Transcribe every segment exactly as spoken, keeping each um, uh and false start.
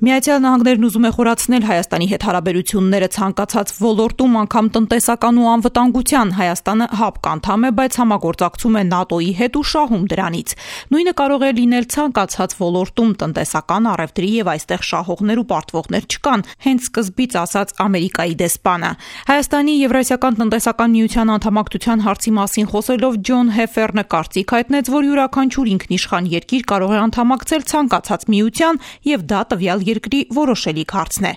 Միացյալ Նահանգներն ուզում է խորացնել Հայաստանի հետ հարաբերությունները ցանկացած ոլորտում, անգամ տնտեսական ու անվտանգության։ Հայաստանը ՀԱՊԿ անդամ է, բայց համագործակցում է ՆԱՏՕ-ի հետ ու շահում դրանից։ Նույնը կարող է լինել ցանկացած ոլորտում, տնտեսական, առևտրի եւ այստեղ շահողներ ու պարտվողներ չկան, հենց սկզբից ասաց Ամերիկայի դեսպանը։ Հայաստանի Եվրասիական տնտեսական միության անդամակցության հարցի մասին խոսելով Ջոն Հեֆերնը կարծիք հայտնեց, որ յուրաքանչյուր ինքնիշխան երկիր կարող է անդամակցել ցանկացած միության եւ դա տվյալ երկրի որոշելիք հարցն է։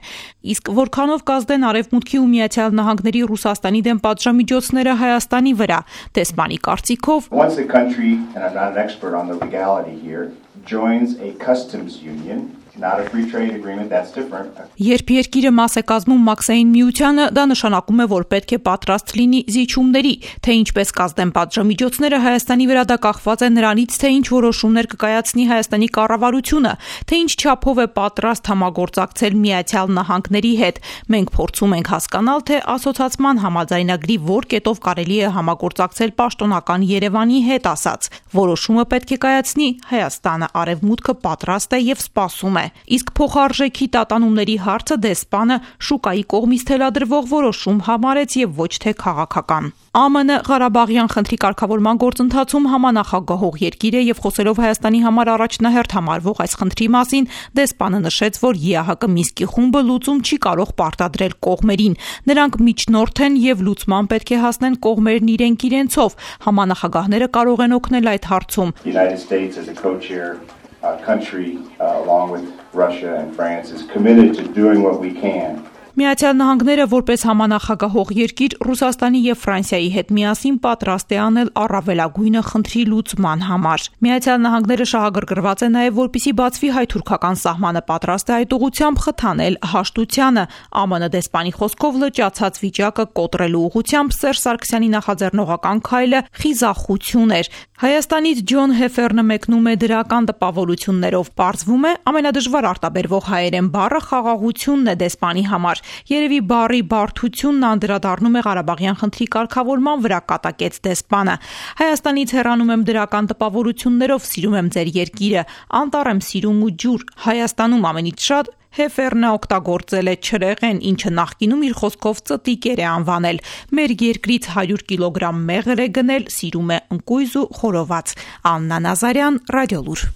Իսկ որքանով կազդեն Արևմուտքի ու Միացյալ Նահանգների Ռուսաստանի դեմ պատժամիջոցները Հայաստանի վրա, դեսպանի կարծիքով Once a country, and I'm not an expert on the legality here, joins a customs union, not a free trade agreement, that's different. Երբ երկիրը մաս է կազմում մաքսային միությանը, դա նշանակում է, որ պետք է պատրաստ լինի զիջումների, թե ինչպես կազդեն պատժամիջոցները Հայաստանի վրա, դա կախված է նրանից, թե ինչ որոշումներ կկայացնի Հայաստանի կառավարությունը, թե ինչ չափով է պատրաստ համագործակցել Միացյալ Նահանգների հետ։ Մենք փորձում ենք հասկանալ, թե ասոցացման համաձայնագրի որ կետով կարելի է համագործակցել պաշտոնական Երևանի հետ, ասաց։ Որոշումը պետք է կայացնի Հայաստանը, Արևմուտքը պատրաստ է եւ սպասում է։ Իսկ փոխարժեքի տատանումների հարցը դեսպանը շուկայի կողմից թելադրվող որոշում համարեց եւ ոչ թե քաղաքական։ ԱՄՆ Ղարաբաղյան խնդրի կարգավորման գործընթացում համանախագահող երկիր է եւ խոսելով Հայաստանի համար առաջնահերթ համարվող այս խնդրի մասին, դեսպանը նշեց, որ ԵԱՀԿ Մինսկի խումբը լուծում չի կարող պարտադրել կողմերին։ Նրանք միջնորդ են եւ լուծման պետք է հասնեն կողմերն իրենք իրենցով։ Համանախագահները կարող են օգնել այդ հարցում։ Our country, uh, along with Russia and France, is committed to doing what we can. Միացյալ Նահանգները որպես համանախագահող երկիր Ռուսաստանի եւ Ֆրանսիայի հետ միասին պատրաստ է անել առավելագույնը խնդրի լուծման համար։ Միացյալ Նահանգները շահագրգռված է նաեւ որպիսի բացվի հայ-թուրքական սահմանը, պատրաստ է այդ ուղղությամբ խթանել հաշտությանը։ ԱՄՆ դեսպանի խոսքով լճացած վիճակը կոտրելու ուղղությամբ Սերժ Սարգսյանի նախաձեռնողական քայլը խիզախություն էր։ Հայաստանից Ջոն Հեֆերնը մեկնում է դրական տպավորություններով։ Պարզվում է, ամենադժվար արտաբերվող հայերեն բառը խաղաղությունն է դեսպանի համար։ Երևի բառի բարդությունն անդրադառնում է Ղարաբաղյան խնդրի կարգավորման վրա, կատակեց դեսպանը։ Հայաստանից հեռանում եմ դրական տպավորություններով, սիրում եմ ձեր երկիրը, անտառ եմ սիրում ու ջուր։ Հայաստանում ամենից շատ Հեֆերնը օգտագործել է չրեղեն, ինչը նախկինում իր խոսքով ծտիկեր է անվանել։ Մեր երկրից հարյուր կիլոգրամ մեղր է գնել, սիրում է ընկույզ ու խորոված։ Աննա Նազարյան, Ռադիոլուր։